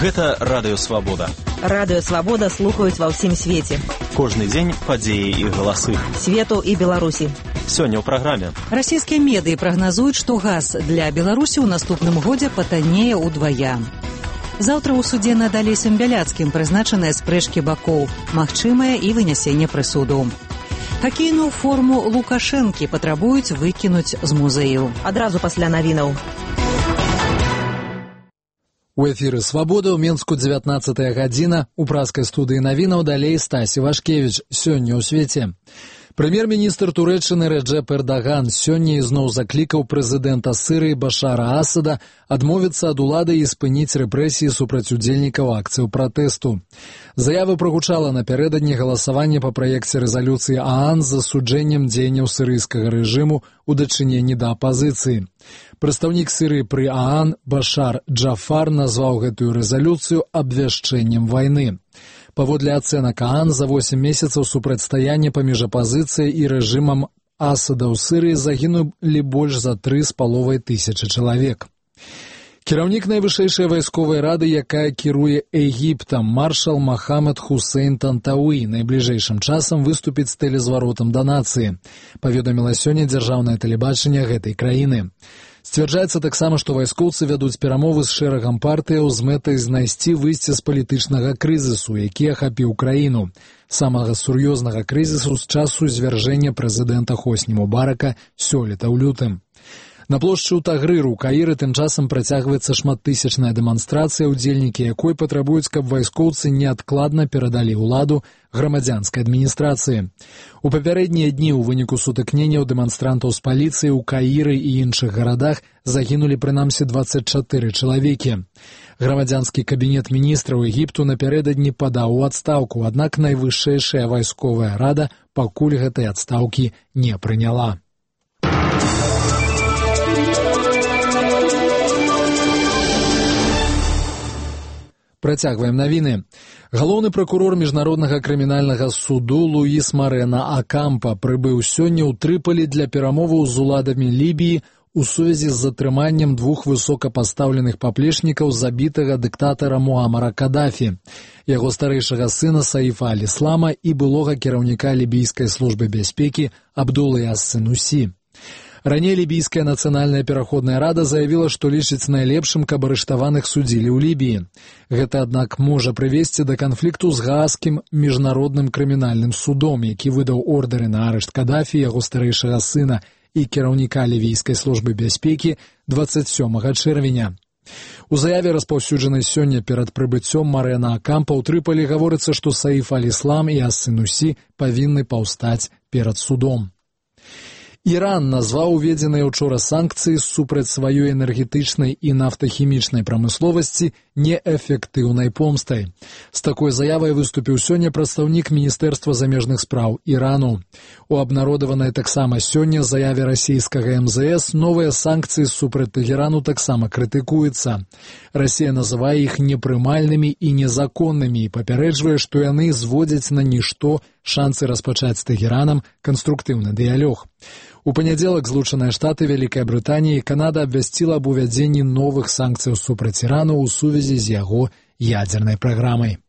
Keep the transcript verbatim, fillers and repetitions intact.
Гэта Радыё Свабода. Радыё Свабода слухаюць ва ўсім свеце. Кожны дзень падзеі і галасы. Свету і Беларусі. Сёння ў праграме. Расійскія медыі прагназуюць, што газ для Беларусі ў наступным годзе патаннее ўдвая. Заўтра ў судзе над Алесем Бяляцкім прызначаныя спрэчкі бакоў, магчымае і вынясенне прысуду. Хакейную форму Лукашэнкі патрабуюць выкінуць з музею. Адразу пасля навінаў. У эфіры «Свабода» ў Менску дзевятнаццатая гадзіна. У праскай студыі навінаў далей Стасі Вашкевіч. Сёння ў свеце. Прэм'ер-міністр Турэччыны Рэджэп Эрдаган сёння ізноў заклікаў прэзідэнта Сірыі Башара Асада адмовіцца ад улады і спыніць рэпрэсіі супраць удзельнікаў акцыяў пратэсту. Заява прагучала напярэдадні галасавання па праекце рэзалюцыі ААН з засуджэннем дзеянняў сірыйскага рэжыму ў дачыненні да апазіцыі. Прадстаўнік Сірыі пры ААН Башар Джафар назваў гэтую рэзалюцыю абвяшчэннем вайны. Паводле ацэнак ААН за восем месяцаў супрацьстаяння паміж апазіцыяй і рэжымам Асада ў Сірыі загінулі больш за тры з паловай тысячы чалавек. Кіраўнік найвышэйшай вайсковай рады, якая кіруе Егіптам, маршал Махамед Хусейн Тантауі, найбліжэйшым часам выступіць з тэлезваротам да нацыі, паведаміла сёння дзяржаўнае тэлебачанне гэтай краіны. Сцвярджаецца таксама, што вайскоўцы вядуць перамовы з шэрагам партыяў з мэтай знайсці выйсце з палітычнага крызісу, які ахапіў краіну, самага сур'ёзнага крызісу з часу звяржэння прэзідэнта Хосні Мубарака сёлета ў лютым. На плошчы ў Тагрыру ў Каіры тым часам працягваецца шматтысячная дэманстрацыя, удзельнікі якой патрабуюць, каб вайскоўцы неадкладна перадалі ўладу грамадзянскай адміністрацыі. У папярэднія дні ў выніку сутыкненняў дэманстрантаў з паліцыяй у Каіры і іншых гарадах загінулі прынамсі дваццаць чатыры чалавекі. Грамадзянскі кабінет міністраў Егіпту напярэдадні падаў у адстаўку, аднак найвышэйшая вайсковая рада пакуль гэтай адстаўкі не прыняла. Працягваем навіны. Галоўны пракурор міжнароднага крымінальнага суду Луіс Марена Акампа прыбыў сёння ў Трыполі для перамоваў з уладамі Лібіі у сувязі з затрыманнем двух высокапастаўленых паплечнікаў забітага дыктатара Муамара Кадафі, яго старэйшага сына Саіфа Аль-Іслама і былога кіраўніка лібійскай службы бяспекі Абдулы ас-Сенусі. Раней лібійская нацыянальная пераходная рада заявіла, што лічыць найлепшым, каб арыштаваных судзілі ў Лібіі. Гэта, аднак, можа прывесці да канфлікту з Гаагскім міжнародным крымінальным судом, які выдаў ордары на арышт Кадафі, яго старэйшага сына і кіраўніка лівійскай службы бяспекі дваццаць сёмага чэрвеня. У заяве, распаўсюджанай сёння перад прыбыццём Марена Акампа ў Трыполі, гаворыцца, што Саіф Аль-Іслам і ас-Сенусі павінны паўстаць перад судом. Іран назваў уведзеныя ўчора санкцыі супраць сваёй энергетычнай і нафтахімічнай прамысловасці неэфектыўнай помстай. З такой заявай выступіў сёння прадстаўнік Міністэрства замежных спраў Ірану. У абнародаванай таксама сёння заяве расійскага эм зэ эс новыя санкцыі супраць Тэгерану таксама крытыкуюцца. Расія называе іх непрымальнымі і незаконнымі і папярэджвае, што яны зводзяць на нішто шансы распачаць з Тэгеранам канструктыўны дыялог. У панядзелак Злучаныя Штаты, Вялікая Брытанія і Канада абвясціла аб увядзенні новых санкцыяў супраць Ірану ў сувязі з яго ядзернай праграмай.